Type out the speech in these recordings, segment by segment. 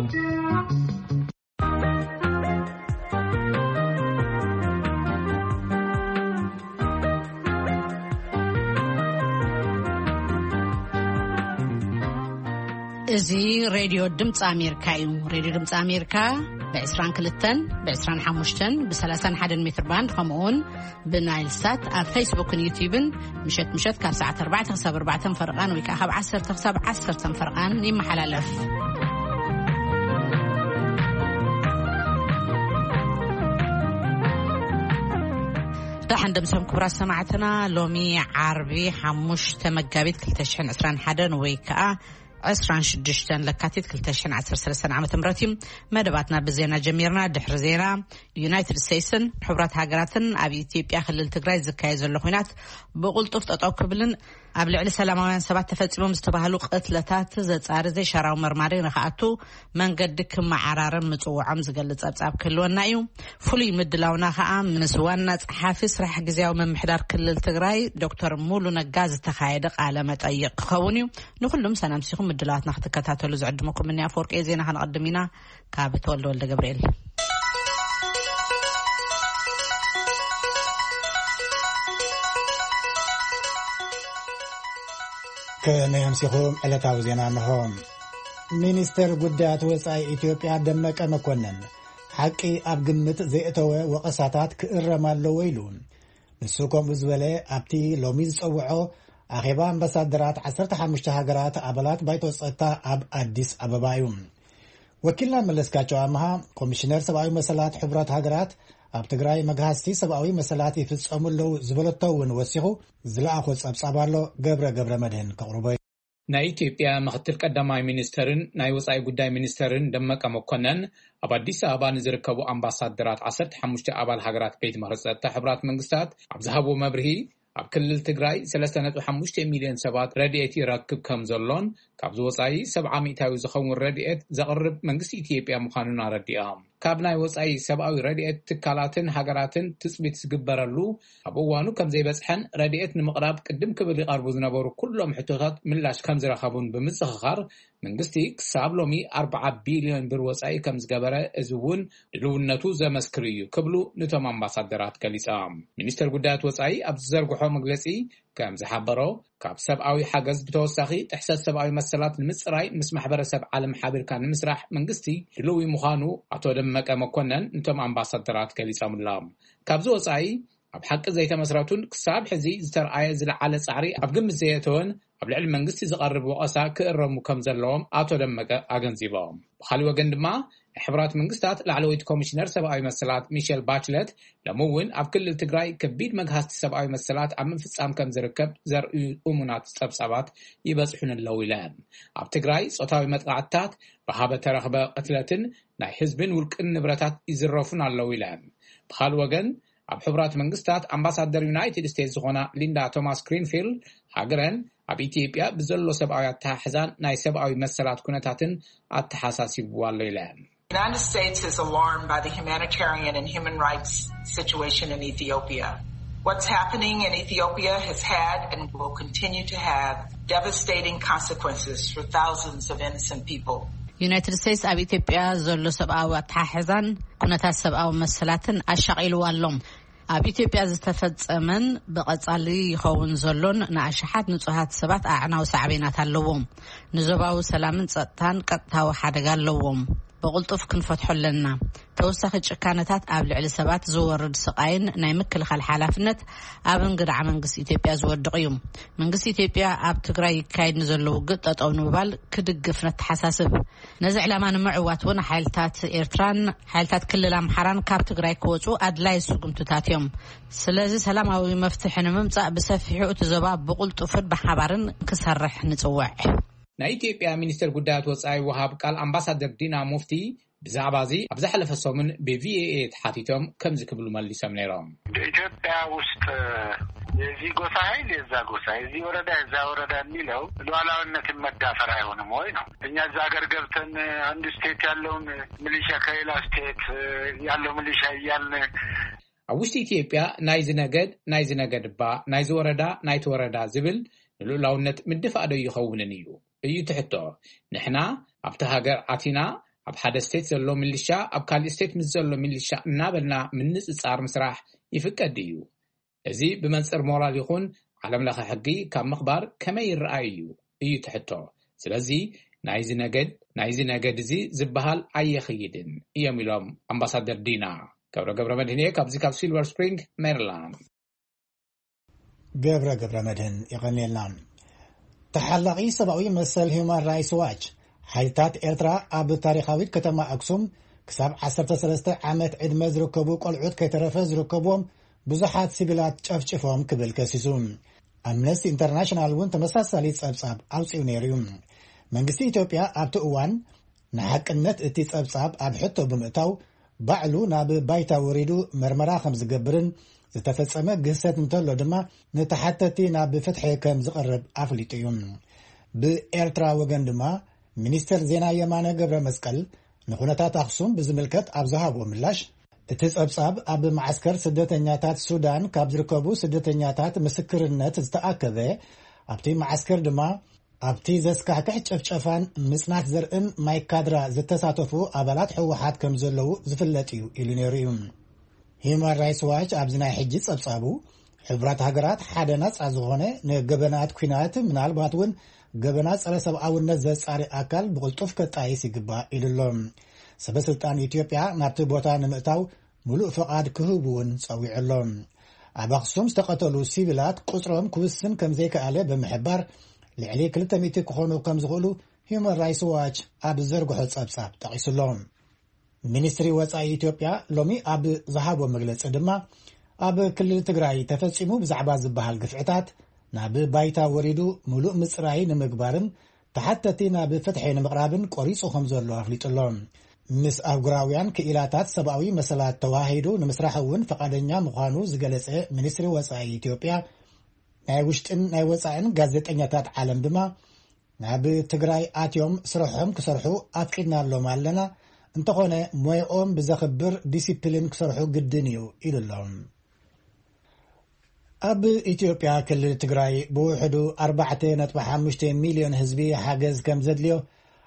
እዚ ሬድዮ ድምፂ ኣሜሪካ እዩ። ሬድዮ ድምፂ ኣሜሪካ ብ22፣ ብ25፣ ብ31 ሜትር ባንድ፣ ከምኡውን ብናይል ሳት ኣብ ፌስቡክን ዩቲዩብን ምሸት ምሸት ካብ ሰዓት ኣርባዕተ ክሳብ ኣርባዕተ ፈርቓን ወይ ከዓ ካብ ዓሰርተ ክሳብ ዓሰርተ ፈርቓን ይመሓላለፍ። ደሓን ደምሰም ክቡራት ሰማዕትና፣ ሎሚ ዓርቢ ሓሙሽተ መጋቢት ክልተ ሽሕን ዕስራን ሓደን ወይ ከዓ ዕስራን ሽዱሽተን ለካቲት ክልተ ሽሕን ዓሰርተ ሰለስተን ዓመተ ምህረት እዩ። መደባትና ብዜና ጀሚርና። ድሕሪ ዜና፣ ዩናይትድ ስቴትስን ሕቡራት ሃገራትን ኣብ ኢትዮጵያ ክልል ትግራይ ዝካየድ ዘሎ ኲናት ብቕልጡፍ ጠጠው ክብልን ኣብ ልዕሊ ሰላማውያን ሰባት ተፈጺሞም ዝተባህሉ ቅትለታት ዘጻሪ ዘይሻራዊ መርማሪ ንኽኣቱ መንገዲ ክመዓራረብ ምጽውዖም ዝገልጽ ጸብጻብ ክህልወና እዩ። ፍሉይ ምድላውና ከኣ ምስ ዋና ጸሓፊ ስራሕ ግዝያዊ ምምሕዳር ክልል ትግራይ ዶክተር ሙሉ ነጋ ዝተኻየደ ቃለ መጠይቕ ክኸውን እዩ። ንኹሉም ሰላም ሲኹም ምድላዋትና ክትከታተሉ ዝዕድመኩም እኒ ኣፈወርቂ ዜና ከነቐድም ኢና። ካብ ተወልደ ወልደ ገብርኤል። ከመይ ኣምሲኹም? ዕለታዊ ዜና እንሆ። ሚኒስተር ጉዳያት ወጻኢ ኢትዮጵያ ደመቀ መኮነን፣ ሓቂ ኣብ ግምት ዘየእተወ ወቐሳታት ክእረም ኣለዎ ኢሉ። ንሱ ከምኡ ዝበለ ኣብቲ ሎሚ ዝጸውዖ ኣኼባ ኣምባሳደራት ዓሰርተ ሓሙሽተ ሃገራት ኣባላት ባይቶ ጸጥታ ኣብ ኣዲስ ኣበባ እዩ። ወኪልና መለስካቸው ኣምሃ፣ ኮሚሽነር ሰብኣዊ መሰላት ሕቡራት ሃገራት፣ ኣብ ትግራይ መግሃስቲ ሰብኣዊ መሰላት ይፍጸሙ ኣለዉ ዝበለቶ እውን ወሲኹ ዝለኣኾ ጸብጻብ ኣሎ። ገብረ ገብረ መድህን ከቕርቦ እዩ። ናይ ኢትዮጵያ ምክትል ቀዳማይ ሚኒስተርን ናይ ወጻኢ ጉዳይ ሚኒስተርን ደመቀ መኮነን፣ ኣብ ኣዲስ ኣበባ ንዝርከቡ ኣምባሳደራት ዓሰርተ ሓሙሽተ ኣባል ሃገራት ቤት ምኽሪ ጸጥታ ሕቡራት መንግስታት ኣብ ዝሃብዎ መብርሂ፣ ኣብ ክልል ትግራይ ሰለስተ ነጥቢ ሓሙሽተ ሚልዮን ሰባት ረድኤት ይረክብ ከም ዘሎን፣ ካብዚ ወጻኢ ሰብዓ ሚእታዊ ዝኸውን ረድኤት ዘቕርብ መንግስቲ ኢትዮጵያ ምዃኑን ኣረዲኦም። ካብ ናይ ወጻኢ ሰብኣዊ ረድኤት ትካላትን ሃገራትን ትጽቢት ዝግበረሉ ኣብ እዋኑ ከም ዘይበጽሐን፣ ረድኤት ንምቕራብ ቅድም ክብል ይቐርቡ ዝነበሩ ኩሎም ሕቶታት ምላሽ ከም ዝረኸቡን ብምዝኽኻር፣ መንግስቲ ክሳብ ሎሚ ኣርብዓ ቢልዮን ብር ወጻኢ ከም ዝገበረ፣ እዚ እውን ድልውነቱ ዘመስክር እዩ ክብሉ ንቶም ኣምባሳደራት ገሊጾም። ሚኒስተር ጉዳያት ወጻኢ ኣብ ዝዘርግሖ መግለጺ ከም ዝሓበሮ፣ ካብ ሰብኣዊ ሓገዝ ብተወሳኺ ጥሕሰት ሰብኣዊ መሰላት ንምጽራይ ምስ ማሕበረሰብ ዓለም ሓቢርካ ንምስራሕ መንግስቲ ድልዊ ምዃኑ ኣቶ ደመቀ መኮነን ንቶም ኣምባሳደራት ገሊጾምሎም። ካብዚ ወጻኢ፣ ኣብ ሓቂ ዘይተመስረቱን ክሳብ ሕዚ ዝተርኣየ ዝለዓለ ጻዕሪ ኣብ ግምት ዘየእተወን ኣብ ልዕሊ መንግስቲ ዝቐርብ ወቐሳ ክእረሙ ከም ዘለዎም ኣቶ ደመቀ ኣገንዚቦም። ብኻልእ ወገን ድማ፣ ናይ ሕቡራት መንግስታት ላዕለወይቲ ኮሚሽነር ሰብኣዊ መሰላት ሚሸል ባችለት፣ ሎሚ እውን ኣብ ክልል ትግራይ ከቢድ መግሃስቲ ሰብኣዊ መሰላት ኣብ ምፍጻም ከም ዝርከብ ዘርእዩ እሙናት ጸብጻባት ይበጽሑን ኣለዉ ኢለን። ኣብ ትግራይ ጾታዊ መጥቃዕትታት፣ ብሃበ ተረኽበ ቅትለትን ናይ ህዝብን ውልቅን ንብረታት ይዝረፉን ኣለዉ ኢለን። ብኻልእ ወገን፣ ኣብ ሕቡራት መንግስታት ኣምባሳደር ዩናይትድ ስቴትስ ዝኾና ሊንዳ ቶማስ ግሪንፊልድ፣ ሃገረን ኣብ ኢትዮጵያ ብዘሎ ሰብኣዊ ኣተሓሕዛን ናይ ሰብኣዊ መሰላት ኩነታትን ኣተሓሳሲብዋ ኣሎ ኢለን። The United States is alarmed by the humanitarian and human rights situation in Ethiopia. What's happening in Ethiopia has had and will continue to have devastating consequences for thousands of innocent people. ዩናይትድ ስቴትስ ኣብ ኢትዮጵያ ዘሎ ሰብኣዊ ኣተሓሕዛን ኩነታት ሰብኣዊ መሰላትን ኣሻቒልዋ ኣሎ። ኣብ ኢትዮጵያ ዝተፈጸመን ብቐጻሊ ይኸውን ዘሎን ንኣሽሓት ንጹሃት ሰባት ኣዕናዊ ሳዕቤናት ኣለዎም። ንዞባዊ ሰላምን ጸጥታን ቀጥታዊ ሓደጋ ኣለዎም። ብቕልጡፍ ክንፈትሖ ኣለና። ተወሳኺ ጭካነታት ኣብ ልዕሊ ሰባት ዝወርድ ስቓይን ናይ ምክልኻል ሓላፍነት ኣብ እንግዳዕ መንግስቲ ኢትዮጵያ ዝወድቕ እዩ። መንግስቲ ኢትዮጵያ ኣብ ትግራይ ይካየድ ንዘሎ ውግእ ጠጠው ንምባል ክድግፍ ነተሓሳስብ። ነዚ ዕላማ ንምዕዋት እውን ሓይልታት ኤርትራን ሓይልታት ክልል ኣምሓራን ካብ ትግራይ ክወፁ ኣድላይ ስጉምትታት እዮም። ስለዚ ሰላማዊ መፍትሒ ንምምፃእ ብሰፊሑ እቲ ዞባ ብቕልጡፍን ብሓባርን ክሰርሕ ንፅውዕ። ናይ ኢትዮጵያ ሚኒስትር ጉዳያት ወጻኢ ወሃብ ቃል ኣምባሳደር ዲና ሙፍቲ ብዛዕባ እዚ ኣብ ዝሓለፈ ሰሙን ብ ቪ ኦ ኤ ተሓቲቶም ከምዚ ክብሉ መሊሶም ነይሮም። በኢትዮጵያ ውስጥ የዚህ ጎሳ ኃይል የዛ ጎሳ፣ የዚህ ወረዳ የዛ ወረዳ የሚለው ሉዓላዊነትን መዳፈር አይሆንም ወይ ነው። እኛ እዛ ሀገር ገብተን አንድ ስቴት ያለውን ሚሊሻ ከሌላ ስቴት ያለው ሚሊሻ እያልን ኣብ ውሽጢ ኢትዮጵያ ናይዚ ነገድ ናይዚ ነገድ እባ፣ ናይዚ ወረዳ ናይቲ ወረዳ ዝብል ንልኡላውነት ምድፋእ ዶ ይኸውንን እዩ? እዩ እቲ ሕቶ። ንሕና ኣብቲ ሃገር ኣቲና ኣብ ሓደ ስቴት ዘሎ ሚሊሻ ኣብ ካሊእ ስቴት ምስ ዘሎ ሚሊሻ እናበልና ምንጽጻር ምስራሕ ይፍቀድ እዩ። እዚ ብመንጽር ሞራል ይኹን ዓለም ለኸ ሕጊ ካብ ምኽባር ከመይ ይረኣይ እዩ እዩ ትሕቶ። ስለዚ ናይዚ ነገድ ናይዚ ነገድ እዚ ዝበሃል ኣየኽይድን እዮም ኢሎም ኣምባሳደር ዲና። ገብረ ገብረ መድህንየ ካብዚ ካብ ሲልቨር ስፕሪንግ ሜሪላንድ። ገብረ ገብረ መድህን ይቐንየልና። ተሓላቒ ሰብኣዊ መሰል ሂውማን ራይትስ ዋች፣ ሓይልታት ኤርትራ ኣብ ታሪኻዊት ከተማ ኣክሱም ክሳብ ዓሰርተ ሰለስተ ዓመት ዕድመ ዝርከቡ ቆልዑት ከይተረፈ ዝርከብዎም ብዙሓት ሲቪላት ጨፍጭፎም ክብል ከሲሱ። ኣምነስቲ ኢንተርናሽናል እውን ተመሳሳሊ ጸብጻብ ኣውጺኡ ነይሩ እዩ። መንግስቲ ኢትዮጵያ ኣብቲ እዋን ንሓቅነት እቲ ጸብጻብ ኣብ ሕቶ ብምእታው፣ ባዕሉ ናብ ባይታ ወሪዱ መርመራ ከም ዝገብርን ዝተፈጸመ ግህሰት እንተሎ ድማ ንተሓተቲ ናብ ፍትሒ ከም ዝቐርብ ኣፍሊጡ እዩ። ብኤርትራ ወገን ድማ ሚኒስተር ዜና የማነ ገብረ መስቀል ንኹነታት ኣኽሱም ብዝምልከት ኣብ ዝሃቦ ምላሽ፣ እቲ ጸብጻብ ኣብ መዓስከር ስደተኛታት ሱዳን ካብ ዝርከቡ ስደተኛታት ምስክርነት ዝተኣከበ፣ ኣብቲ መዓስከር ድማ ኣብቲ ዘስካሕክሕ ጨፍጨፋን ምጽናት ዘርእን ማይካድራ ዝተሳተፉ ኣባላት ህወሓት ከም ዘለዉ ዝፍለጥ እዩ ኢሉ ነይሩ እዩ። ሂዩማን ራይትስ ዋች ኣብዚ ናይ ሕጂ ጸብጻቡ፣ ሕቡራት ሃገራት ሓደ ናጻ ዝኾነ ንገበናት ኲናት፣ ምናልባት እውን ገበናት ጸረ ሰብኣውነት ዘጻሪ ኣካል ብቕልጡፍ ከጣይስ ይግባእ ኢሉ ኣሎ። ሰበ ስልጣን ኢትዮጵያ ናብቲ ቦታ ንምእታው ምሉእ ፍቓድ ክህቡ እውን ጸዊዑ ኣሎ። ኣብ ኣኽሱም ዝተቐተሉ ሲቪላት ቁጽሮም ክውስን ከም ዘይከኣለ ብምሕባር፣ ልዕሊ ክልተ ሚእቲ ክኾኑ ከም ዝኽእሉ ሂዩማን ራይትስ ዋች ኣብ ዝዘርግሖ ጸብጻብ ጠቒሱ ኣሎ። ሚኒስትሪ ወጻኢ ኢትዮጵያ ሎሚ ኣብ ዝሃቦ መግለጺ ድማ፣ ኣብ ክልል ትግራይ ተፈጺሙ ብዛዕባ ዝበሃል ግፍዕታት ናብ ባይታ ወሪዱ ምሉእ ምጽራይ ንምግባርን ተሓተቲ ናብ ፍትሒ ንምቕራብን ቆሪጹ ከም ዘሎ ኣፍሊጡ ኣሎ። ምስ ኣህጉራውያን ክኢላታት ሰብኣዊ መሰላት ተዋሂዱ ንምስራሕ እውን ፈቓደኛ ምዃኑ ዝገለጸ ሚኒስትሪ ወጻኢ ኢትዮጵያ፣ ናይ ውሽጥን ናይ ወጻእን ጋዜጠኛታት ዓለም ድማ ናብ ትግራይ ኣትዮም ስርሖም ክሰርሑ ኣፍቂድናሎም ኣለና፣ እንተኾነ ሞያኦም ብዘኽብር ዲሲፕሊን ክሰርሑ ግድን እዩ ኢሉ ኣሎ። ኣብ ኢትዮጵያ ክልል ትግራይ ብውሕዱ ኣርባዕተ ነጥቢ ሓሙሽተ ሚልዮን ህዝቢ ሓገዝ ከም ዘድልዮ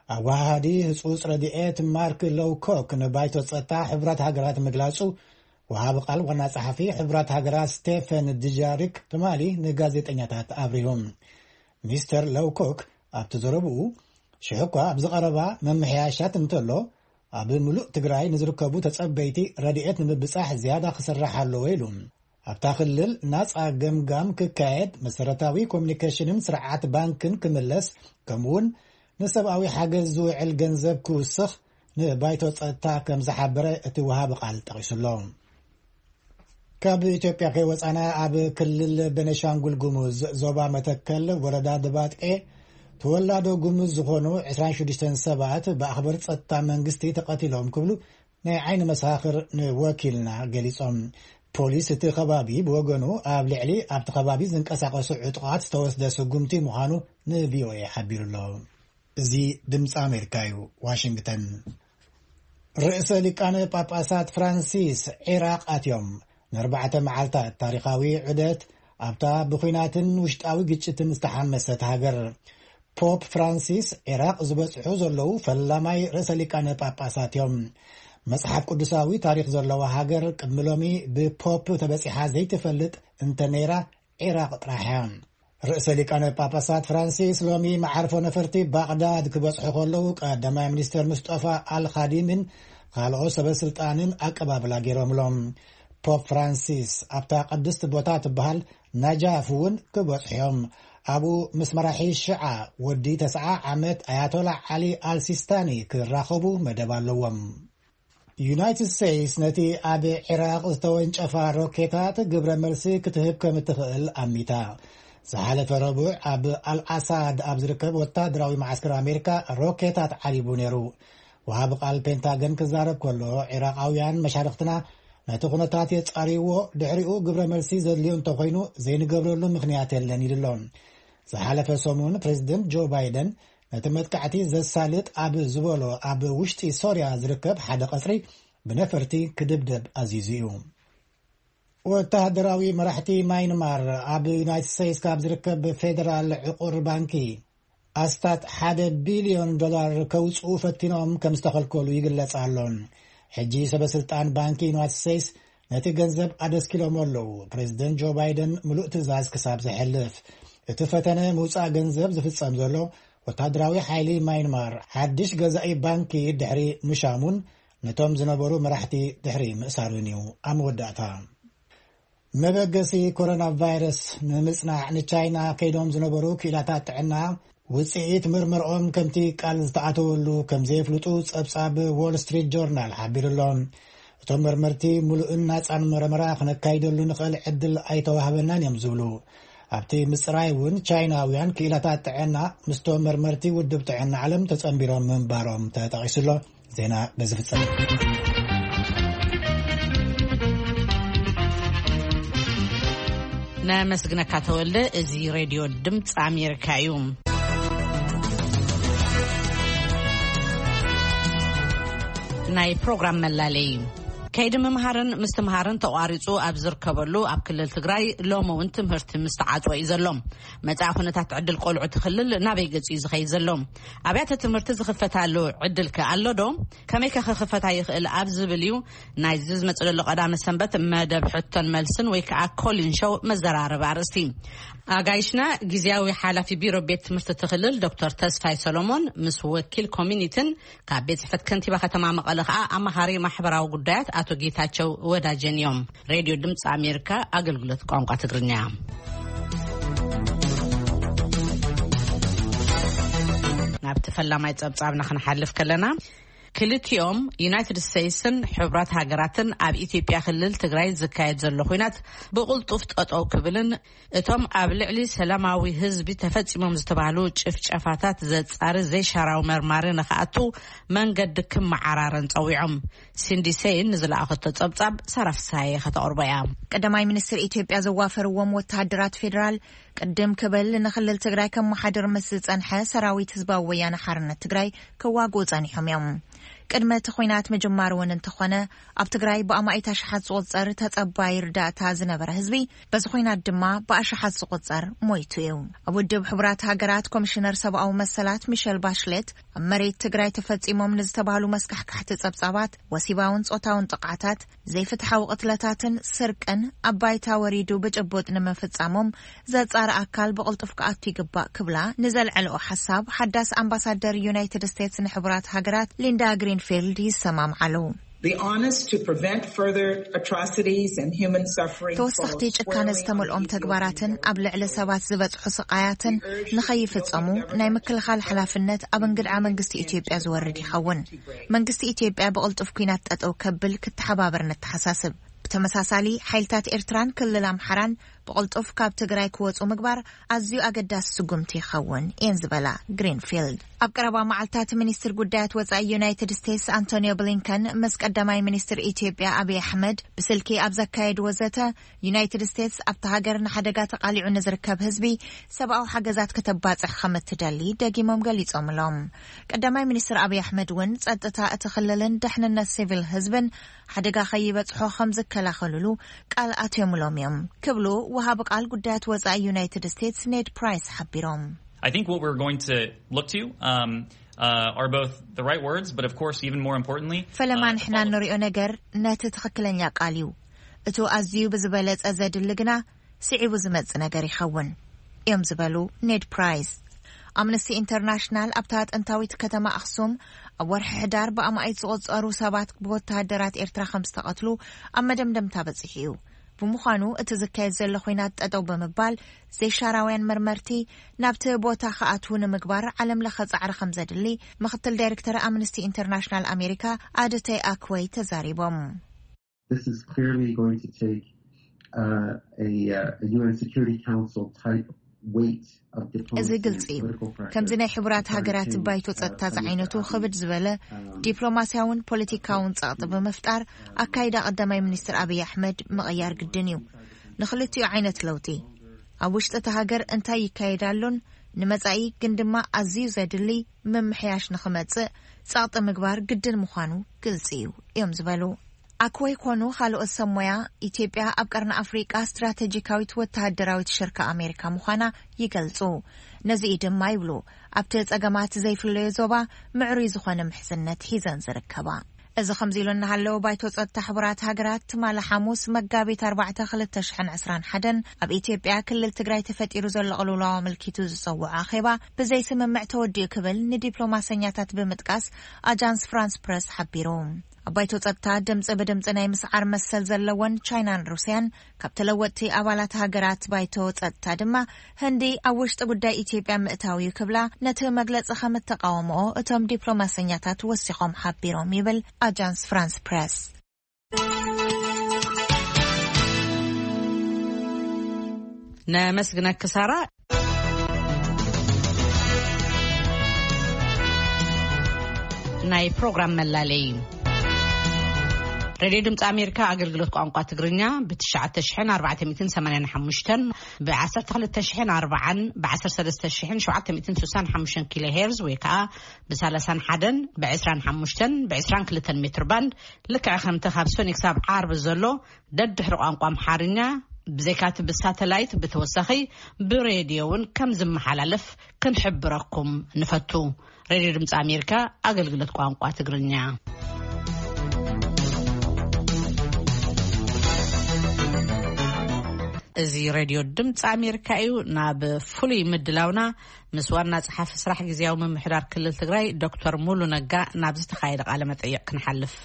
ኣወሃሃዲ ህጹጽ ረድኤት ማርክ ሎውኮክ ንባይቶ ጸጥታ ሕቡራት ሃገራት ምግላጹ፣ ወሃቢ ቃል ዋና ጸሓፊ ሕቡራት ሃገራት ስቴፈን ድጃሪክ ትማሊ ንጋዜጠኛታት ኣብሪሁ። ሚስተር ሎውኮክ ኣብቲ ዘረብኡ፣ ሽሕ እኳ ኣብዚ ቀረባ መምሕያሻት እንተሎ፣ ኣብ ምሉእ ትግራይ ንዝርከቡ ተጸበይቲ ረድኤት ንምብጻሕ ዝያዳ ክስራሕ ኣለዎ ኢሉ። ኣብታ ክልል ናጻ ገምጋም ክካየድ፣ መሰረታዊ ኮሚኒኬሽንን ስርዓት ባንክን ክምለስ፣ ከምኡውን ንሰብኣዊ ሓገዝ ዝውዕል ገንዘብ ክውስኽ ንባይቶ ጸጥታ ከም ዝሓበረ እቲ ወሃቢ ቃል ጠቒሱ ኣሎ። ካብ ኢትዮጵያ ከይወጻና፣ ኣብ ክልል ቤኒሻንጉል ጉሙዝ ዞባ መተከል ወረዳ ድባጤ ተወላዶ ጉሙዝ ዝኾኑ ዕስራን ሽዱሽተን ሰባት ብኣኽበር ጸጥታ መንግስቲ ተቐቲሎም ክብሉ ናይ ዓይኒ መሰኻኽር ንወኪልና ገሊጾም። ፖሊስ እቲ ከባቢ ብወገኑ ኣብ ልዕሊ ኣብቲ ከባቢ ዝንቀሳቐሱ ዕጡቓት ዝተወስደ ስጉምቲ ምዃኑ ንቪኦኤ ሓቢሩ ኣሎ። እዚ ድምፂ ኣሜሪካ እዩ። ዋሽንግተን። ርእሰ ሊቃነ ጳጳሳት ፍራንሲስ ዒራቕ ኣትዮም። ንኣርባዕተ መዓልታት ታሪኻዊ ዑደት ኣብታ ብኹናትን ውሽጣዊ ግጭትን ዝተሓመሰት ሃገር። ፖፕ ፍራንሲስ ዒራቕ ዝበጽሑ ዘለዉ ፈላማይ ርእሰ ሊቃነ ጳጳሳት እዮም። መጽሓፍ ቅዱሳዊ ታሪኽ ዘለዋ ሃገር ቅድሚ ሎሚ ብፖፕ ተበጺሓ ዘይትፈልጥ እንተ ነይራ፣ ዒራቕ ጥራሕ እያ። ርእሰ ሊቃነ ጳጳሳት ፍራንሲስ ሎሚ መዓርፎ ነፈርቲ ባቕዳድ ክበጽሑ ከለዉ፣ ቀዳማይ ሚኒስተር ሙስጠፋ ኣልኻዲምን ካልኦት ሰበ ስልጣንን ኣቀባብላ ገይሮምሎም። ፖፕ ፍራንሲስ ኣብታ ቅድስቲ ቦታ ትበሃል ናጃፍ እውን ክበጽሑ እዮም። ኣብኡ ምስ መራሒ ሽዓ ወዲ ተስዓ ዓመት ኣያቶላ ዓሊ ኣልሲስታኒ ክራኸቡ መደብ ኣለዎም። ዩናይትድ ስቴትስ ነቲ ኣብ ዒራቕ ዝተወንጨፋ ሮኬታት ግብረ መልሲ ክትህብ ከም እትኽእል ኣሚታ። ዝሓለፈ ረቡዕ ኣብ ኣልኣሳድ ኣብ ዝርከብ ወታደራዊ መዓስከር ኣሜሪካ ሮኬታት ዓሊቡ ነይሩ። ወሃቢ ቃል ፔንታገን ክዛረብ ከሎ፣ ዒራቓውያን መሻርኽትና ነቲ ኩነታት የጻርይዎ፣ ድሕሪኡ ግብረ መልሲ ዘድልዮ እንተኾይኑ ዘይንገብረሉ ምኽንያት የለን ኢሉ ኣሎ። ዝሓለፈ ሰሙን ፕሬዚደንት ጆ ባይደን ነቲ መጥቃዕቲ ዘሳልጥ ኣብ ዝበሎ ኣብ ውሽጢ ሶርያ ዝርከብ ሓደ ቀጽሪ ብነፈርቲ ክድብደብ ኣዚዙ እዩ። ወተሃደራዊ መራሕቲ ማይንማር ኣብ ዩናይትድ ስቴትስ ካብ ዝርከብ ፌደራል ዕቑር ባንኪ ኣስታት ሓደ ቢልዮን ዶላር ከውጽኡ ፈቲኖም ከም ዝተኸልከሉ ይግለጽ ኣሎ። ሕጂ ሰበ ስልጣን ባንኪ ዩናይትድ ስቴትስ ነቲ ገንዘብ ኣደስኪሎም ኣለዉ። ፕሬዚደንት ጆ ባይደን ምሉእ ትእዛዝ ክሳብ ዘሕልፍ፣ እቲ ፈተነ ምውጻእ ገንዘብ ዝፍጸም ዘሎ ወታደራዊ ሓይሊ ማይንማር ሓድሽ ገዛኢ ባንኪ ድሕሪ ምሻሙን ነቶም ዝነበሩ መራሕቲ ድሕሪ ምእሳሩን እዩ። ኣብ መወዳእታ፣ መበገሲ ኮሮና ቫይረስ ንምጽናዕ ንቻይና ከይዶም ዝነበሩ ክኢላታት ጥዕና ውጽኢት ምርመርኦም ከምቲ ቃል ዝተኣተወሉ ከም ዘየፍልጡ ጸብጻብ ዎል ስትሪት ጆርናል ሓቢሩ ኣሎ። እቶም መርመርቲ ምሉእን ናጻን መረመራ ክነካይደሉ ንኽእል ዕድል ኣይተዋህበናን እዮም ዝብሉ። ኣብቲ ምጽራይ እውን ቻይናውያን ክኢላታት ጥዕና ምስቶም መርመርቲ ውድብ ጥዕና ዓለም ተጸንቢሮም ምንባሮም ተጠቒሱ ኣሎ። ዜና በዚ ፍጸም። ነመስግነካ ተወልደ። እዚ ሬድዮ ድምፂ ኣሜሪካ እዩ። ናይ ፕሮግራም መላለይ። ከይዲ ምምሃርን ምስትምሃርን ተቋሪፁ ኣብ ዝርከበሉ ኣብ ክልል ትግራይ ሎሚ እውን ትምህርቲ ምስተዓፅወ እዩ ዘሎ። መፃኢ ኩነታት ዕድል ቆልዑ እቲ ክልል ናበይ ገፂ እዩ ዝኸይድ ዘሎ? ኣብያተ ትምህርቲ ዝኽፈታሉ ዕድል ከ ኣሎ ዶ? ከመይ ከ ክኽፈታ ይኽእል ኣብ ዝብል እዩ ናይዚ ዝመፅእ ዘሎ ቀዳመ ሰንበት መደብ ሕቶን መልስን ወይ ከዓ ኮሊን ሾው መዘራረቢ ኣርእስቲ። ኣጋይሽና ግዝያዊ ሓላፊ ቢሮ ቤት ትምህርቲ እቲ ክልል ዶክተር ተስፋይ ሰሎሞን ምስ ወኪል ኮሚኒቲን ካብ ቤት ጽሕፈት ከንቲባ ከተማ መቐለ ከዓ ኣማኻሪ ማሕበራዊ ጉዳያት ኣቶ ጌታቸው ወዳጀን እዮም። ሬድዮ ድምፂ ኣሜሪካ ኣገልግሎት ቋንቋ ትግርኛ። ናብቲ ፈላማይ ጸብጻብና ክንሓልፍ ከለና፣ ክልቲኦም ዩናይትድ ስቴትስን ሕቡራት ሃገራትን ኣብ ኢትዮጵያ ክልል ትግራይ ዝካየድ ዘሎ ኲናት ብቕልጡፍ ጠጠው ክብልን እቶም ኣብ ልዕሊ ሰላማዊ ህዝቢ ተፈጺሞም ዝተባህሉ ጭፍጨፋታት ዘጻሪ ዘይሻራዊ መርማሪ ንኽኣቱ መንገዲ ክመዓራረን ጸዊዖም። ሲንዲ ሴይን ንዝለኣኸቶ ጸብጻብ ሳራ ፍስሃየ ከተቕርቦ እያ። ቀዳማይ ሚኒስትር ኢትዮጵያ ዘዋፈርዎም ወተሃደራት ፌዴራል ቅድም ክብል ንክልል ትግራይ ከመሓድር ምስ ዝጸንሐ ሰራዊት ህዝባዊ ወያነ ሓርነት ትግራይ ክዋግኡ ጸኒሖም እዮም። ቅድሚ እቲ ኲናት ምጅማር እውን እንተኾነ፣ ኣብ ትግራይ ብኣማኢት ኣሽሓት ዝቑጸር ተጸባይ ርዳእታ ዝነበረ ህዝቢ፣ በዚ ኲናት ድማ ብኣሽሓት ዝቑጸር ሞይቱ እዩ። ኣብ ውድብ ሕቡራት ሃገራት ኮሚሽነር ሰብኣዊ መሰላት ሚሸል ባሽሌት፣ ኣብ መሬት ትግራይ ተፈጺሞም ንዝተባህሉ መስካሕካሕቲ ጸብጻባት፣ ወሲባውን ጾታውን ጥቕዓታት፣ ዘይፍትሓዊ ቅትለታትን ስርቅን ኣብ ባይታ ወሪዱ ብጭቡጥ ንምፍጻሞም ዘጻሪ ኣካል ብቕልጡፍ ክኣቱ ይግባእ ክብላ ንዘልዐልኦ ሓሳብ ሓዳስ ኣምባሳደር ዩናይትድ ስቴትስ ንሕቡራት ሃገራት ሊንዳ ግሪንፊልድ ይሰማምዓሉ። The onus to prevent further atrocities and human suffering ተወሰኽቲ falls ጭካነ squarely ዝተመልኦም on the ተግባራትን ኣብ ልዕሊ ሰባት ዝበጽሑ ስቓያትን ንኸይፍጸሙ ናይ ምክልኻል ሓላፍነት ኣብ እንግድዓ መንግስቲ ኢትዮጵያ ዝወርድ ይኸውን። መንግስቲ ኢትዮጵያ ብቕልጡፍ ኲናት ጠጠው ከብል ክተሓባበር ነተሓሳስብ። ብተመሳሳሊ፣ ሓይልታት ኤርትራን ክልል ኣምሓራን ብቕልጡፍ ካብ ትግራይ ክወጹ ምግባር ኣዝዩ ኣገዳሲ ስጉምቲ ይኸውን እየን ዝበላ ግሪንፊልድ። ኣብ ቀረባ መዓልታት ሚኒስትር ጉዳያት ወጻኢ ዩናይትድ ስቴትስ ኣንቶኒዮ ብሊንከን ምስ ቀዳማይ ሚኒስትር ኢትዮጵያ ኣብይ ኣሕመድ ብስልኪ ኣብ ዘካየድዎ ዘተ፣ ዩናይትድ ስቴትስ ኣብታ ሃገር ንሓደጋ ተቓሊዑ ንዝርከብ ህዝቢ ሰብኣዊ ሓገዛት ከተባጽሕ ከም እትደሊ ደጊሞም ገሊጾምሎም። ቀዳማይ ሚኒስትር ኣብይ ኣሕመድ እውን ጸጥታ እቲ ክልልን ድሕንነት ሲቪል ህዝብን ሓደጋ ከይበጽሖ ከም ዝከላኸሉሉ ቃል ኣትዮምሎም እዮም ክብሉ ወሃቢ ቃል ጉዳያት ወጻኢ ዩናይትድ ስቴትስ ኔድ ፕራይስ ሓቢሮም። I think what we're going to look to, um, uh, are both the right words, but of course, even more importantly, ፈለማ uh, ንሕና follow- እንሪኦ ነገር ነቲ ትኽክለኛ ቃል እዩ። እቱ ኣዝዩ ብዝበለጸ ዘድሊ ግና ስዒቡ ዝመጽእ ነገር ይኸውን እዮም ዝበሉ ኔድ ፕራይስ። ኣምነስቲ ኢንተርናሽናል ኣብታ ጥንታዊት ከተማ ኣኽሱም ኣብ ወርሒ ሕዳር ብኣማኢት ዝቑጸሩ ሰባት ብወተሃደራት ኤርትራ ከም ዝተቐትሉ ኣብ መደምደምታ በጺሑ እዩ። ብምዃኑ እቲ ዝካየድ ዘሎ ኹናት ጠጠው ብምባል ዘይሻራውያን መርመርቲ ናብቲ ቦታ ክኣትዉ ንምግባር ዓለም ለኸ ጻዕሪ ከም ዘድሊ ምኽትል ዳይሬክተር ኣምነስቲ ኢንተርናሽናል ኣሜሪካ ኣድተይ ኣክወይ ተዛሪቦም። This is clearly going to take uh, a, uh, a U N Security Council type weight of እዚ diplomacy ግልጺ and እዩ። Political pressure ከምዚ ናይ ሕቡራት to try ሃገራት to, ባይቶ uh, ጸጥታ come ዝዓይነቱ to ክብድ ዝበለ um, ዲፕሎማስያውን ፖለቲካውን ጸቕጢ ብምፍጣር ኣካይዳ ቀዳማይ ሚኒስትር ኣብይ ኣሕመድ ምቕያር ግድን እዩ። ንኽልቲኡ ዓይነት ለውጢ ኣብ ውሽጢ እቲ ሃገር እንታይ ይካየድ ኣሎን ንመጻኢ ግን ድማ ኣዝዩ ዘድሊ ምምሕያሽ ንኽመጽእ ጸቕጢ ምግባር ግድን ምዃኑ ግልጺ እዩ እዮም ዝበሉ። ኣክወይ ኮኑ ካልኦት ሰብ ሞያ፣ ኢትዮጵያ ኣብ ቀርኒ ኣፍሪቃ ስትራቴጂካዊት ወተሃደራዊት ሽርካ ኣሜሪካ ምዃና ይገልጹ። ነዚ እዩ ድማ ይብሉ፣ ኣብቲ ጸገማት ዘይፍለዮ ዞባ ምዕሩይ ዝኾነ ምሕዝነት ሒዘን ዝርከባ። እዚ ከምዚ ኢሉ እናሃለወ፣ ባይቶ ጸጥታ ሕቡራት ሃገራት ትማሊ ሓሙስ መጋቢት ኣርባዕተ ክልተ ሽሕን ዕስራን ሓደን ኣብ ኢትዮጵያ ክልል ትግራይ ተፈጢሩ ዘሎ ቅልውላው ኣመልኪቱ ዝጸውዖ ኣኼባ ብዘይ ስምምዕ ተወዲኡ ክብል ንዲፕሎማሰኛታት ብምጥቃስ ኣጃንስ ፍራንስ ፕረስ ሓቢሩ። ኣብ ባይቶ ጸጥታ ድምጺ ብድምጺ ናይ ምስዓር መሰል ዘለወን ቻይናን ሩስያን፣ ካብ ተለወጥቲ ኣባላት ሃገራት ባይቶ ጸጥታ ድማ ህንዲ ኣብ ውሽጢ ጉዳይ ኢትዮጵያ ምእታው እዩ ክብላ ነቲ መግለጺ ከም እተቃወምኦ እቶም ዲፕሎማሰኛታት ወሲኾም ሓቢሮም ይብል ኣጃንስ ፍራንስ ፕረስ። ነመስግነኪ ሳራ። ናይ ፕሮግራም መላለይ። ሬድዮ ድምፂ ኣሜሪካ ኣገልግሎት ቋንቋ ትግርኛ ብ ትሽዓተ ሽሕን ኣርባዕተ ሚእትን ሰማንያን ሓሙሽተን፣ ብ ዓሰርተ ክልተ ሽሕን ኣርባዓን፣ ብ ዓሰርተ ሰለስተ ሽሕን ሸውዓተ ሚእትን ስሳን ሓሙሽተን ኪሎ ሄርዝ ወይ ከዓ ብ ሰላሳን ሓደን፣ ብ ዕስራን ሓሙሽተን፣ ብ ዕስራን ክልተን ሜትር ባንድ፣ ልክዕ ከምቲ ካብ ሰኒ ክሳብ ዓርቢ ዘሎ ደድሕሪ ቋንቋ ኣምሓርኛ፣ ብዘይካቲ ብሳተላይት ብተወሳኺ ብሬድዮ እውን ከም ዝመሓላለፍ ክንሕብረኩም ንፈቱ። ሬድዮ ድምፂ ኣሜሪካ ኣገልግሎት ቋንቋ ትግርኛ። እዚ ሬድዮ ድምፂ ኣሜሪካ እዩ። ናብ ፍሉይ ምድላውና ምስ ዋና ጸሓፊ ስራሕ ግዝያዊ ምምሕዳር ክልል ትግራይ ዶክተር ሙሉ ነጋ ናብ ዝተኻየደ ቃለ መጠይቕ ክንሓልፍ።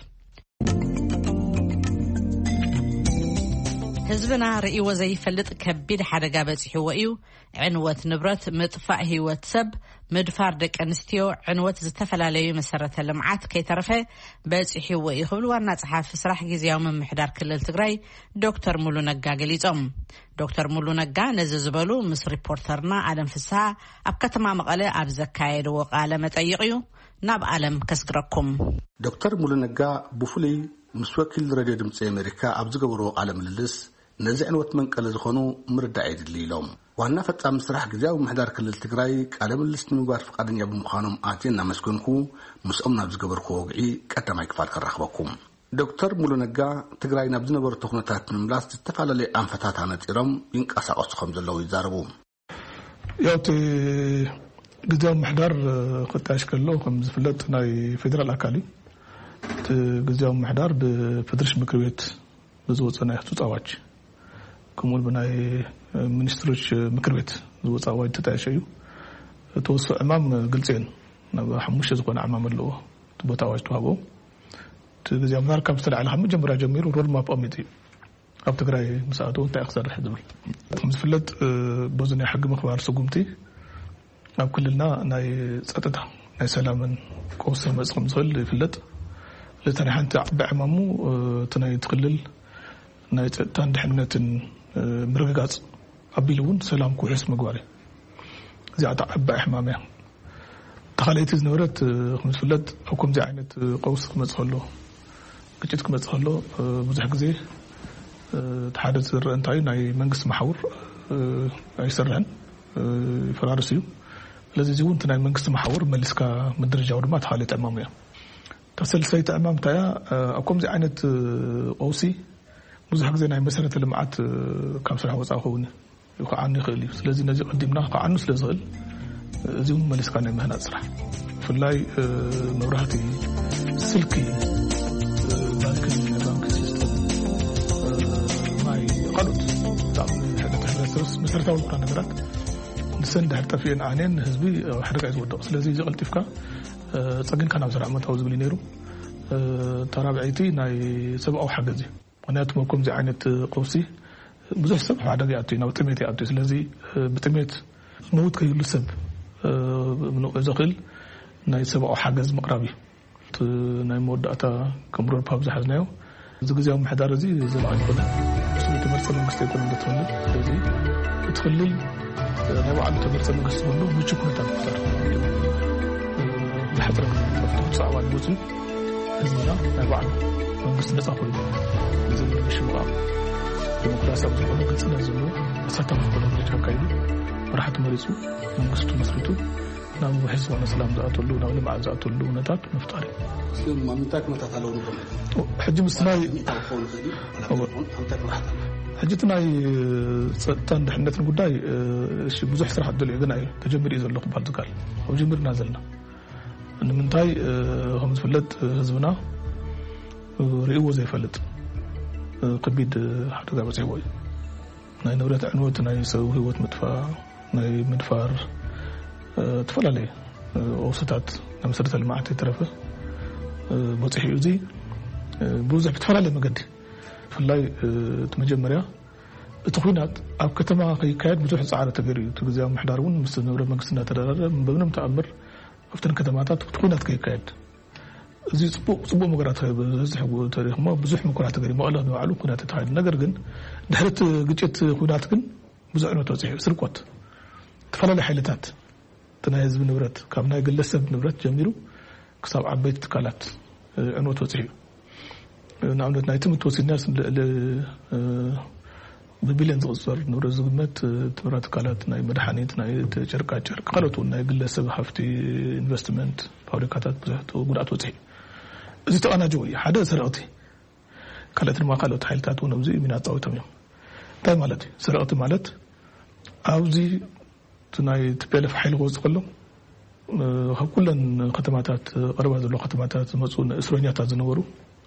ህዝብና ርእይዎ ዘይፈልጥ ከቢድ ሓደጋ በጺሕዎ እዩ። ዕንወት ንብረት፣ ምጥፋእ ህይወት ሰብ፣ ምድፋር ደቂ ኣንስትዮ፣ ዕንወት ዝተፈላለዩ መሰረተ ልምዓት ከይተረፈ በጺሕዎ እዩ ክብል ዋና ጸሓፊ ስራሕ ግዝያዊ ምምሕዳር ክልል ትግራይ ዶክተር ሙሉ ነጋ ገሊጾም። ዶክተር ሙሉ ነጋ ነዚ ዝበሉ ምስ ሪፖርተርና ኣለም ፍስሃ ኣብ ከተማ መቐለ ኣብ ዘካየድዎ ቃለ መጠይቕ እዩ። ናብ ኣለም ከስግረኩም። ዶክተር ሙሉ ነጋ ብፍሉይ ምስ ወኪል ሬድዮ ድምፂ ኣሜሪካ ኣብ ዝገበርዎ ቃለ ምልልስ፣ ነዚ ዕንወት መንቀሊ ዝኾኑ ምርዳእ የድሊ ኢሎም። ዋና ፈጻሚ ስራሕ ግዝያዊ ምምሕዳር ክልል ትግራይ ቃለ ምልልስ ንምግባር ፍቓደኛ ብምዃኖም ኣትየ እናመስገንኩ፣ ምስኦም ናብ ዝገበርኩዎ ወግዒ ቀዳማይ ክፋል ከራኽበኩም። ዶክተር ሙሉ ነጋ፣ ትግራይ ናብ ዝነበረቶ ኩነታት ንምምላስ ዝተፈላለዩ ኣንፈታት ኣነጺሮም ይንቀሳቐሱ ከም ዘለዉ ይዛረቡ። ያው እቲ ግዝያዊ ምምሕዳር ክጣየሽ ከሎ ከም ዝፍለጥ ናይ ፌደራል ኣካል እዩ። እቲ ግዝያዊ ምምሕዳር ብፌደሬሽን ምክር ቤት ብዝወፀ ናይ ህጹጽ ኣዋጅ፣ ከምኡ እውን ብናይ ሚኒስትሮች ምክር ቤት ዝወፀ ኣዋጅ ተጣየሸ እዩ። እቲ ወስኦ ዕማም ግልፂ እየን። ናብ ሓሙሽተ ዝኾነ ዕማም ኣለዎ። እቲ ቦታ ኣዋጅ ተዋህቦ። እቲ ግዝያዊ ምምሕዳር ካብ ዝተላዕለ ካብ መጀመርያ ጀሚሩ ሮድማፕ ኣቐሚጡ እዩ። ኣብ ትግራይ ምስ ኣተወ እንታይ ክሰርሕ ዝብል። ከም ዝፍለጥ፣ እ፣ በዚ ናይ ሕጊ ምኽባር ስጉምቲ ኣብ ክልልና ናይ ጸጥታ፣ ናይ ሰላምን ቀውሲ ክመጽእ ከም ዝኽእል ይፍለጥ። ስለዚ ናይ ሓንቲ ዓባይ ዕማሙ፣ እ፣ እቲ ናይ እቲ ክልል ናይ ጸጥታን ድሕነትን፣ እ፣ ምርግጋጽ ኣቢሉ እውን ሰላም ክውሕስ ምግባር እዩ። እዚኣ እታ ዓባይ ሕማም እያ። እታ ካልኣይቲ ዝነበረት፣ እ፣ ከም ዝፍለጥ ኣብ ከምዚ ዓይነት፣ እ፣ ቀውሲ ክመጽእ ከሎ፣ ግጭት ክመጽእ ከሎ፣ እ፣ ብዙሕ ግዜ፣ እ፣ እቲ ሓደ ዝረአ እንታይ እዩ፣ ናይ መንግስቲ መሓውር፣ እ፣ ኣይሰርሕን፣ እ፣ ይፈራርስ እዩ። ስለዚ እዚ እውን እቲ ናይ መንግስቲ መሓውር መሊስካ ምድርጃው ድማ እቲ ካልእ ዕማም እያ። እታ ሰልሰይቲ ዕማም እንታይ እያ? እ፣ ኣብ ከምዚ ዓይነት፣ እ፣ ቀውሲ ብዙሕ ግዜ ናይ መሰረተ ልምዓት፣ እ፣ ካብ ስራሕ ወፃኢ ክኸውን እዩ። ይኸዓኒ ይኽእል እዩ። ስለዚ ነዚ ቀዲምና ክኸዓኑ ስለ ዝኽእል፣ እዚ እውን መሊስካ ናይ ምህናጽ ስራሕ፣ ብፍላይ፣ እ፣ መብራህቲ፣ ስልኪ፣ እ፣ ባንክን ናይ ባንክ ሲስተም፣ እ፣ ማይ፣ ካልኦት ብጣዕሚ ንሕብረት-፣ ሕብረተሰብ መሰረታዊ ዝኾና ነገራት ንሰን ድሕር ጠፊኤን ኣንየን ህዝቢ ኣብ ሓደጋ እዩ ዝወድቕ። ስለዚ እዚ ቀልጢፍካ፣ እ፣ ጸጊንካ ናብ ስራሕ ምእታው ዝብል እዩ ነይሩ። እ፣ ተራብዐይቲ ናይ ሰብኣዊ ሓገዝ እዩ። ምኽንያቱ ኣብ ከምዚ ዓይነት ቀውሲ ብዙሕ ሰብ ኣብ ሓደጋ ይኣቱ እዩ፣ ናብ ጥሜት ይኣቱ እዩ። ስለዚ፣ እ፣ ብጥሜት ዝመውት ከይህሉ ሰብ፣ እ፣ ምንቕዕ ዘኽእል ናይ ሰብኣዊ ሓገዝ ምቕራብ እዩ። እቲ ናይ መወዳእታ ከም ሮድማፕ ዝሓዝናዮ፣ እዚ ግዝያዊ ምምሕዳር እዚ ዘላቒ ኣይኮነን። እሱ ተመርጸ መንግስቲ ኣይኮነን ዘትኽልል። ስለዚ እቲ ክልል፣ እ፣ ናይ ባዕሉ ተመርጸ መንግስቲ ክህሉ ምቹ ኩነታት ምፍጣር። እ፣ ዝሓጸረ ግዜ ምፍጣር። እቲ ውፅእ ኣዋጅ ወፂኡ ህዝብና ናይ ባዕሉ መንግስቲ ነፃ ኮይኑ ንዘለለ ምሽምቓቕ ዲሞክራሲያዊ ዝኾነ ግልፅነት ዘለዎ ኣሳታፊ ዝኾነ ምርጫ ኣካይዱ መራሕቲ መሪፁ መንግስቱ መስሪቱ ናብ ውሕስ ዝኾነ ሰላም ዝኣተሉ፣ ናብ ልምዓት ዝኣተሉ ኩነታት ምፍጣር እዩ። እስኪ ኣብ ምንታይ ኩነታት ኣለዉ ንብሎም? ሕጂ ምስ ናይ ሚእታዊ ክኸውን ይኽእል እዩ፣ ዋላ ኣይኮን፣ ኣብ ምንታይ ኩነታት ኣለዉ? ሕጂ እቲ ናይ ጸጥታን ድሕነትን ጉዳይ፣ እሺ፣ ብዙሕ ስራሕ ደልዮ፣ ግን እዩ ተጀሚሩ እዩ ዘሎ ክበሃል ዝከኣል። ኣብ ጀሚርና ዘለና። ንምንታይ፣ ከም ዝፍለጥ፣ ህዝብና ርእይዎ ዘይፈልጥ ከቢድ ሓደጋ በፂሕዎ እዩ። ናይ ንብረት ዕንወት፣ ናይ ሰብ ህይወት ምጥፋእ፣ ናይ ምድፋር፣ ዝተፈላለየ ኦስታት ናይ መሰረተ ልምዓት የተረፈ በፂሑ እዩ። እዚ ብዙሕ ብዝተፈላለየ መገዲ፣ ብፍላይ እቲ መጀመርያ እቲ ኩናት ኣብ ከተማ ከይካየድ ብዙሕ ፃዕሪ ተገይሩ እዩ። እቲ ግዜ ምሕዳር እውን ምስ ዝነበረ መንግስቲ እናተደራደረ፣ በምንም ተኣምር ኣብተን ከተማታት እቲ ኩናት ከይካየድ፣ እዚ ፅቡቅ ፅቡቅ መገራት ዝበዝሕ ተሪኽሞ ብዙሕ ምኩራት ተገይሩ፣ መቐለ ንባዕሉ ኩናት ተኻይዱ። ነገር ግን ድሕሪ እቲ ግጭት ኩናት ግን ብዙሕ ዕንወት በፂሑ፣ ስርቆት፣ ዝተፈላለዩ ሓይልታት፣ እቲ ናይ ህዝቢ ንብረት፣ ካብ ናይ ግለሰብ ንብረት ጀሚሩ ክሳብ ዓበይቲ ትካላት ዕንወት በፂሑ እዩ። ንኣብነት ናይ ትምህርቲ ወሲድናስ ልዕሊ ብቢልዮን ዝቕፅር ንብረት ዝግመት ትምህርት ትካላት፣ ናይ መድሓኒት፣ ናይ ጨርቃ ጨርቅ፣ ካልኦት እውን ናይ ግለሰብ ሃፍቲ፣ ኢንቨስትመንት፣ ፋብሪካታት ብዙሕ ጉድኣት በፂሑ እዩ። እዚ ተቐናጀው እዩ። ሓደ ሰረቕቲ፣ ካልኦት ድማ ካልኦት ሓይልታት እውን ኣብዚ ሚና ኣፃዊቶም እዮም። እንታይ ማለት እዩ? ሰረቕቲ ማለት ኣብዚ እቲ ናይ ቲ ፒ ኤል ኤፍ ሓይሊ ክወፅእ ከሎ ካብ ኩለን ከተማታት፣ ቀረባ ዘለዎ ከተማታት ዝመፁ እስረኛታት ዝነበሩ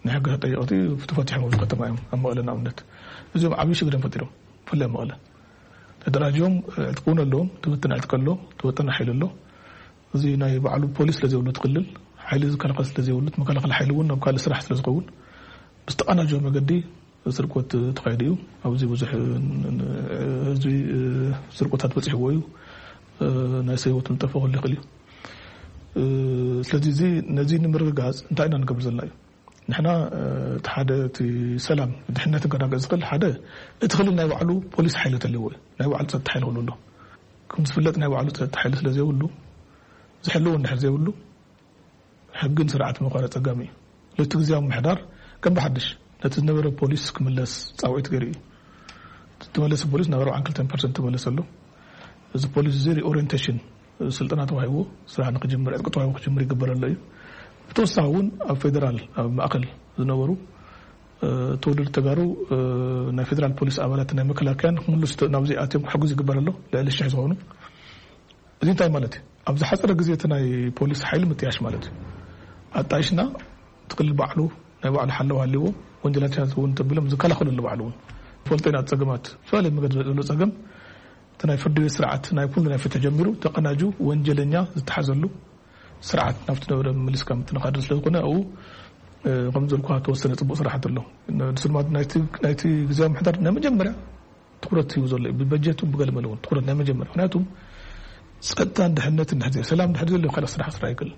ናይ ሕጊ ተጠየቕቲ ተፈቲሖም ኣብዚ ከተማ እዮም። ኣብ መቐለ ንኣብነት እዚኦም ዓብዪ ሽግር እዮም ፈጢሮም፣ ብፍላይ ኣብ መቐለ። ተደራጅዮም ዕጥቂ እውን ኣለዎም። ትብትን ዕጥቂ ኣሎ፣ ትወጠነ ሓይሊ ኣሎ። እዚ ናይ ባዕሉ ፖሊስ ስለዘይብሉ እቲ ክልል ሓይሊ ዝከላኸል ስለዘይብሉ፣ መከላኸሊ ሓይሊ እውን ናብ ካልእ ስራሕ ስለዝኸውን ብዝተቐናጀወ መገዲ ስርቆት ተኻይዱ እዩ። ኣብዚ ብዙሕ ህዝቢ ስርቆታት በፂሕዎ እዩ። ናይ ሰብ ህይወት ምጠፍእ ክህሉ ይኽእል እዩ። ስለዚ እዚ ነዚ ንምርግጋፅ እንታይ ኢና ንገብር ዘለና እዩ? ንሕና እቲ ሓደ እቲ ሰላም ድሕነት ክረጋገፅ ዝኽእል ሓደ እቲ ክልል ናይ ባዕሉ ፖሊስ ሓይሊ ተልዎ እዩ። ናይ ባዕሉ ፀጥታ ሓይሊ ክህሉ ኣሎ። ከም ዝፍለጥ ናይ ባዕሉ ፀጥታ ሓይሊ ስለዘይብሉ ዝሕልዎ እንድሕር ዘይብሉ ሕግን ስርዓት መቋረፅ ፀጋሚ እዩ። ለቲ ግዜያዊ ምሕዳር ከም ብሓድሽ ነቲ ዝነበረ ፖሊስ ክምለስ ፃውዒት ገይሩ እዩ። እቲ ተመለሰ ፖሊስ ናብ ኣርባዓን ክልተን ፐርሰንት ተመለሰ ኣሎ። እዚ ፖሊስ እዚ ሪኦሪንቴሽን ስልጠና ተዋሂቦ ስራሕ ንክጅምር ዕጥቂ ተዋሂቦ ክጅምር ይግበር ኣሎ እዩ። ብተወሳኺ እውን ኣብ ፌደራል ኣብ ማእከል ዝነበሩ ተወለድቲ ተጋሩ ናይ ፌደራል ፖሊስ ኣባላት ናይ መከላከያን ክምልሱ ናብዚ ኣትዮም ክሕግዙ ይግበር ኣሎ። ልዕሊ ሽሕ ዝኾኑ እዚ እንታይ ማለት እዩ? ኣብ ዝሓፀረ ግዜ እቲ ናይ ፖሊስ ሓይሊ ምጥያሽ ማለት እዩ። ኣጣይሽና እቲ ክልል ባዕሉ ናይ ባዕሉ ሓለዋ ሃልዎ ወንጀላትያት እውን ተቢሎም ዝከላኸለሉ ባዕሉ እውን ፈልጦ ኢና። ፀገማት ዝተፈላለዩ መገድ ዘሎ ፀገም እቲ ናይ ፍርዲ ቤት ስርዓት ናይ ኩሉ ናይ ፍትሒ ጀሚሩ ተቐናጁ ወንጀለኛ ዝተሓዘሉ ስርዓት ናብቲ ነበረ ምልስካ ምትንኻድር ስለዝኾነ ኣብኡ ከም ዘልኩ ተወሰነ ፅቡቅ ስራሕቲ ኣሎ። ንስልማት ናይቲ ግዜያዊ ምሕዳር ናይ መጀመርያ ትኩረት ሂቡ ዘሎ እዩ። ብበጀት እውን ብገለ መለ እውን ትኩረት ናይ መጀመርያ ምክንያቱ ፀጥታን ድሕነትን ድሕር ዘይ ሰላም ድሕር ዘሎ ካልእ ስራሕ ስራሕ ኣይክእል።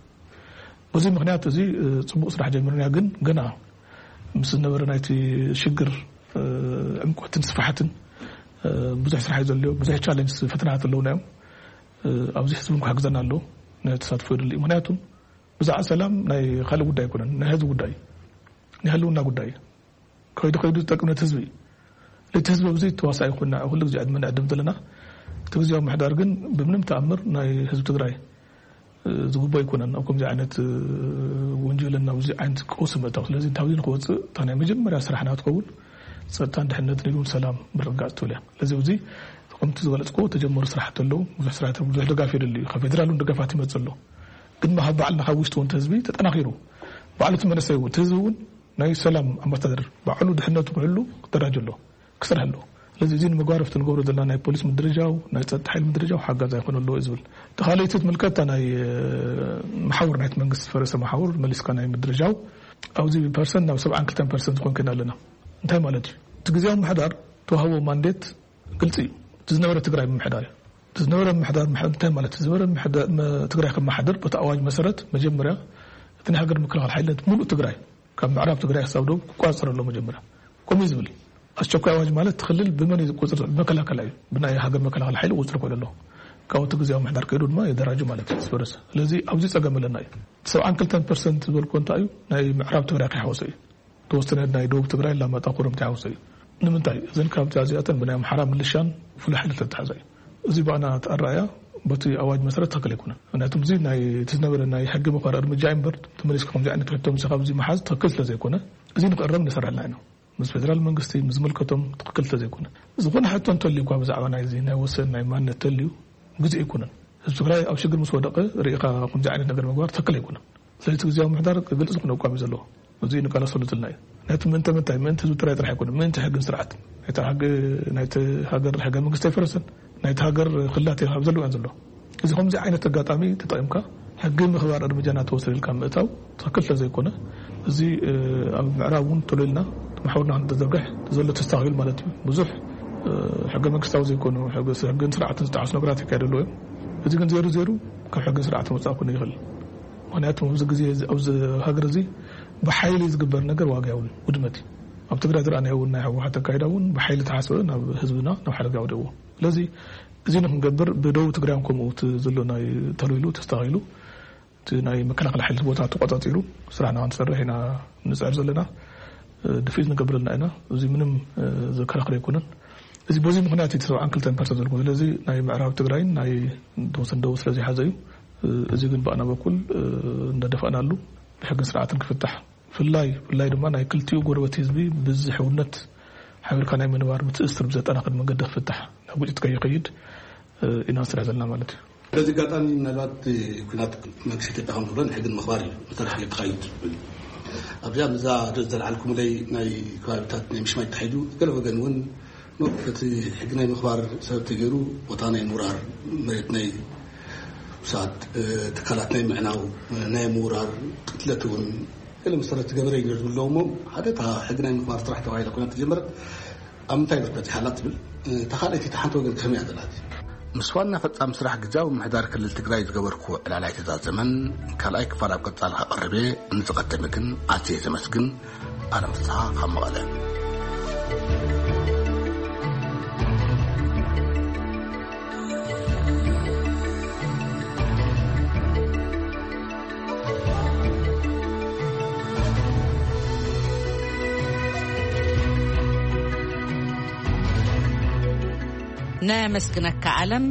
በዚ ምክንያት እዚ ፅቡቅ ስራሕ ጀሚርና ግን ገና ምስ ዝነበረ ናይቲ ሽግር ዕምቆትን ስፋሕትን ብዙሕ ስራሕ እዩ ዘልዮ። ብዙሕ ቻለንጅ ፈተናታት ኣለውና እዮም። ኣብዚ ህዝቢ ክሕግዘና ኣለዎ። ናይ ተሳትፎ ይድሊ እዩ። ምክንያቱ ብዛዕባ ሰላም ናይ ካልእ ጉዳይ ኣይኮነን፣ ናይ ህዝቢ ጉዳይ እዩ። ናይ ህልውና ጉዳይ እዩ። ከይዱ ከይዱ ዝጠቅም ነቲ ህዝቢ እዩ። ለቲ ህዝቢ ኣብዚ ተዋሳኢ ኮይና ኩሉ ግዜ ዕድመ ንዕድም ዘለና እቲ ግዜያዊ ምሕዳር ግን ብምንም ተኣምር ናይ ህዝቢ ትግራይ ዝግቦ ኣይኮነን ኣብ ከምዚ ዓይነት ወንጀልን ኣብዚ ዓይነት ቀውሲ ምእታው። ስለዚ እንታብዚ ንክወፅእ እታ ናይ መጀመርያ ስራሕና ትኸውን ፀጥታን ድሕነትን ኢሉን ሰላም ምርግጋፅ ትብል እያ። ስለዚ ኣብዚ ከምቲ ዝገለፅኮ ተጀመሩ ስራሕቲ ኣለዉ። ብዙሕ ስራሕቲ ብዙሕ ደጋፍ የድሊ እዩ። ካብ ፌደራል እውን ደገፋት ይመፅእ ኣሎ። ግን ካብ ባዕልና ካብ ውሽጢ እውን እቲ ህዝቢ ተጠናኺሩ ባዕሉ እቲ መንእሰይ እውን እቲ ህዝቢ እውን ናይ ሰላም ኣምባሳደር ባዕሉ ድሕነቱ ክሕሉ ክደራጅ ኣሎ ክሰርሕ ኣሎ። ስለዚ እዚ ንምግባር ኣብቲ ንገብሮ ዘለና ናይ ፖሊስ ምድርጃው ናይ ፀጥታ ሓይሊ ምድርጃው ሓጋዝ ኣይኮነ ኣለዎ እዩ ዝብል። እቲ ካልኣይቲ ትምልከት እታ ናይ መሓውር ናይቲ መንግስቲ ዝፈረሰ መሓውር መሊስካ ናይ ምድርጃው ኣብዚ ፐርሰንት ናብ ሰብዓን ክልተን ፐርሰንት ዝኾን ኮይና ኣለና። እንታይ ማለት እዩ? እቲ ግዜያዊ ምሕዳር ተዋህቦ ማንዴት ግልፂ እዩ። እቲ ዝነበረ ትግራይ ምምሕዳር እዩ። እቲ ዝነበረ ምምሕዳር ምሕ- እንታይ ማለት እዩ? ዝነበረ ምምሕዳር መ- ትግራይ ከመሓድር በቲ ኣዋጅ መሰረት መጀመርያ እቲ ናይ ሃገር ምክልኻል ሓይሊ ነቲ ሙሉእ ትግራይ ካብ ምዕራብ ትግራይ ክሳብ ደቡብ ክቆፃፀር ኣለዎ መጀመርያ። ከምኡ እዩ ዝብል እዩ። ኣስቸኳይ ኣዋጅ ማለት እቲ ክልል ብመን እዩ ዝቆፅር? መከላከላ እዩ። ብናይ ሃገር መከላከል ሓይሊ ቁፅሪ ኮይኑ ኣለዎ። ካብ እቲ ግዜያዊ ምምሕዳር ከይዱ ድማ የደራጁ ማለት እዩ። ዝፈረሰ ስለዚ ኣብዚ ፀገም ኣለና እዩ። እቲ ሰብዓን ክልተን ፐርሰንት ዝበልኩ እንታይ እዩ? ናይ ምዕራብ ትግራይ ከይሓወሰ እዩ። ተወሰነ ናይ ደቡብ ትግራይ ላማጣ ኮረምቲ ሓውሰ እዩ። ንምንታይ እዘን ካብቲ ኣዚኣተን ብናይ ኣምሓራ ምልሻን ፍሉይ ሓይሊ ተተሓዛ እዩ። እዚ ባና ተኣረኣያ በቲ ኣዋጅ መሰረት ትኽክል ኣይኮነን። ምክንያቱ እዚ ናይ እቲ ዝነበረ ናይ ሕጊ ምኽባር እርምጃ እምበር፣ ተመሊስካ ከምዚ ዓይነት ሕቶ ምስ ካብዚ ምሓዝ ትኽክል ስለ ዘይኮነ፣ እዚ ንክእረም ንሰርሐልና ኢና። ምስ ፌደራል መንግስቲ፣ ምስ ዝምልከቶም ትኽክል ስለ ዘይኮነ፣ ዝኾነ ሕቶ እንተልዩ እኳ ብዛዕባ ናይዚ ናይ ወሰን ናይ ማንነት ተልዩ ግዜ ኣይኮነን። ህዝቢ ትግራይ ኣብ ሽግር ምስ ወደቐ ርኢኻ ከምዚ ዓይነት ነገር ምግባር ትኽክል ኣይኮነን። ስለዚ እቲ ግዜያዊ ምሕዳር ግልፂ ዝኾነ ኣቋም እዩ ዘለዎ። እዚ ንቃለሰሉ ዘለና እዩ። ናይቲ ምእንተ ምንታይ? ምእንቲ ህዝቢ ትግራይ ጥራሕ ኣይኮነን፣ ምእንቲ ሕግን ስርዓትን። ናይቲ ሕጊ፣ ናይቲ ሃገር ሕገ መንግስቲ ኣይፈረሰን፣ ናይቲ ሃገር ክልላት ኣብ ዘለውያን ዘሎ። እዚ ከምዚ ዓይነት ኣጋጣሚ ተጠቒምካ ሕጊ ምኽባር እርምጃ እናተወሰደ ኢልካ ምእታው ትኽክል ስለ ዘይኮነ፣ እዚ ኣብ ምዕራብ እውን ተሎ ኢልና መሓውርና ክንተዘርግሕ ዘሎ ተስተኻኺሉ ማለት እዩ። ብዙሕ ሕገ መንግስታዊ ዘይኮኑ ሕግን ስርዓትን ዝጠዓሱ ነገራት ይካየዱ ኣለዉ እዮም። እዚ ግን ዜሩ ዜሩ ካብ ሕግን ስርዓትን ወፃእ ክኾን ይኽእል። ምክንያቱ ኣብዚ ግዜ እዚ፣ ኣብዚ ሃገር እዚ ብሓይሊ ዝግበር ነገር ዋጋ የብሉን፣ ውድመት እዩ። ኣብ ትግራይ ዝረኣናዮ እውን ናይ ህወሓት ኣካይዳ እውን ብሓይሊ ተሓስበ ናብ ህዝብና ናብ ሓደጋ ወደዎ። ስለዚ እዚ ንክንገብር ብደቡብ ትግራይ እውን ከምኡ እቲ ዘሎ ናይ ተልዊሉ ተስተኻኺሉ እቲ ናይ መከላኸሊ ሓይሊ ቦታ ተቆፃፂሩ ስራሕና ክንሰርሕ ኢና ንፅዕር ዘለና። ድፍኢት ንገብረልና ኢና። እዚ ምንም ዘከራኽር ኣይኮነን። እዚ በዚ ምክንያት እቲ ሰብዓን ክልተን ፐርሰንት ዘለዎ። ስለዚ ናይ ምዕራብ ትግራይን ናይ ተወሰን ደቡብ ስለ ዘይሓዘ እዩ። እዚ ግን ብኣና በኩል እንዳደፋእናሉ ብሕግን ስርዓትን ክፍታሕ፣ ፍላይ ፍላይ ድማ ናይ ክልቲኡ ጎረበት ህዝቢ ብዝሕውነት ሓቢርካ ናይ ምንባር ምትእስር ብዘጠናኽር መንገዲ ክፍታሕ፣ ናብ ግጭት ከይኸይድ ኢና ንሰርሕ ዘለና ማለት እዩ። በዚ ኣጋጣሚ ምናልባት ኩናት መንግስቲ ኢትዮጵያ ከም ዝብሎ ንሕግን ምኽባር እዩ መሰርሕ ክካይድ ዝብል። ኣብዚኣ ምዛ ርእስ ዘልዓልኩምለይ ናይ ከባቢታት ናይ ምሽማይ ተታሒዙ ገለ ወገን እውን እቲ ሕጊ ናይ ምኽባር ሰብ ተገይሩ ቦታ ናይ ምውራር፣ መሬት ናይ ውሳድ፣ ትካላት ናይ ምዕናው፣ ናይ ምውራር ቅትለት እውን ገለ መሰረት ዝገበረ እዩ ዝብለዎ እሞ፣ ሓደ እታ ሕጊ ናይ ምኽባር ስራሕ ተባሂላ ኮይና ተጀመረት ኣብ ምንታይ ብርበት ይሃላ ትብል፣ እታ ካልኣይቲ እታ ሓንቲ ወገን ከመይ እያ ዘላት? ምስ ዋና ፈጻሚ ስራሕ ግዝያዊ ምምሕዳር ክልል ትግራይ ዝገበርኩ ዕላል ኣይተዛዘመን። ካልኣይ ክፋል ኣብ ቀጻሊ ከቕርብ እየ። ንዝቐደመ ግን ኣዝየ ዘመስግን። ኣለም ፍስሓ ካብ መቐለ። ነመስግነካ ኣለም።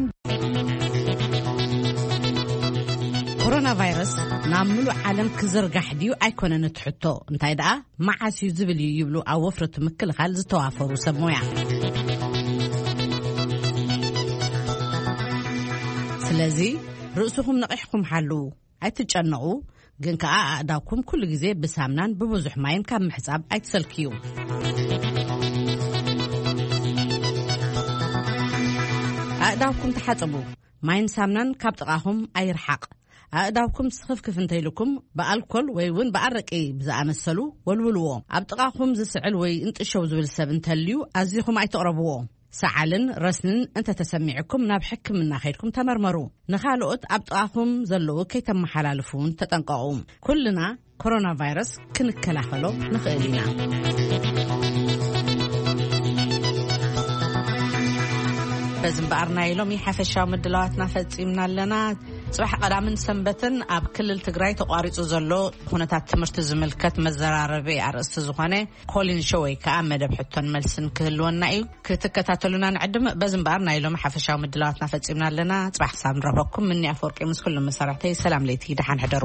ኮሮና ቫይረስ ናብ ምሉእ ዓለም ክዝርጋሕ ድዩ ኣይኮነን እቲ ሕቶ፣ እንታይ ደኣ መዓስ እዩ ዝብል እዩ ይብሉ ኣብ ወፍሪ እቲ ምክልኻል ዝተዋፈሩ ሰብ ሞያ። ስለዚ ርእስኹም ነቒሕኩም ሓልዉ። ኣይትጨነቑ፣ ግን ከኣ ኣእዳውኩም ኩሉ ግዜ ብሳምናን ብብዙሕ ማይን ካብ ምሕጻብ ኣይትሰልክዩ። ኣእዳውኩም ተሓጸቡ። ማይን ሳምናን ካብ ጥቓኹም ኣይርሓቕ። ኣእዳውኩም ስኽፍክፍ እንተኢልኩም ብኣልኮል ወይ እውን ብኣረቂ ብዝኣመሰሉ ወልውልዎ። ኣብ ጥቓኹም ዝስዕል ወይ እንጥሸው ዝብል ሰብ እንተልዩ ኣዚኹም ኣይትቕረብዎ። ሰዓልን ረስንን እንተተሰሚዕኩም ናብ ሕክምና ከይድኩም ተመርመሩ። ንኻልኦት ኣብ ጥቓኹም ዘለዉ ከይተመሓላልፉ እውን ተጠንቀቑ። ኩልና ኮሮና ቫይረስ ክንከላኸሎ ንኽእል ኢና። በዚ እምበኣር ናይ ሎሚ ሓፈሻዊ ምድላዋትና ፈጺምና ኣለና። ጽባሕ ቀዳምን ሰንበትን ኣብ ክልል ትግራይ ተቋሪጹ ዘሎ ኩነታት ትምህርቲ ዝምልከት መዘራረቢ ኣርእስቲ ዝኾነ ኮሊን ሾው ወይ ከዓ መደብ ሕቶን መልስን ክህልወና እዩ። ክትከታተሉና ንዕድም። በዚ እምበኣር ናይ ሎሚ ሓፈሻዊ ምድላዋትና ፈጺምና ኣለና። ጽባሕ ክሳብ ንረኽበኩም ምኒ ኣፈወርቂ ምስ ኩሎም መሳርሕተይ ሰላም ለይቲ፣ ደሓን ሕደሩ።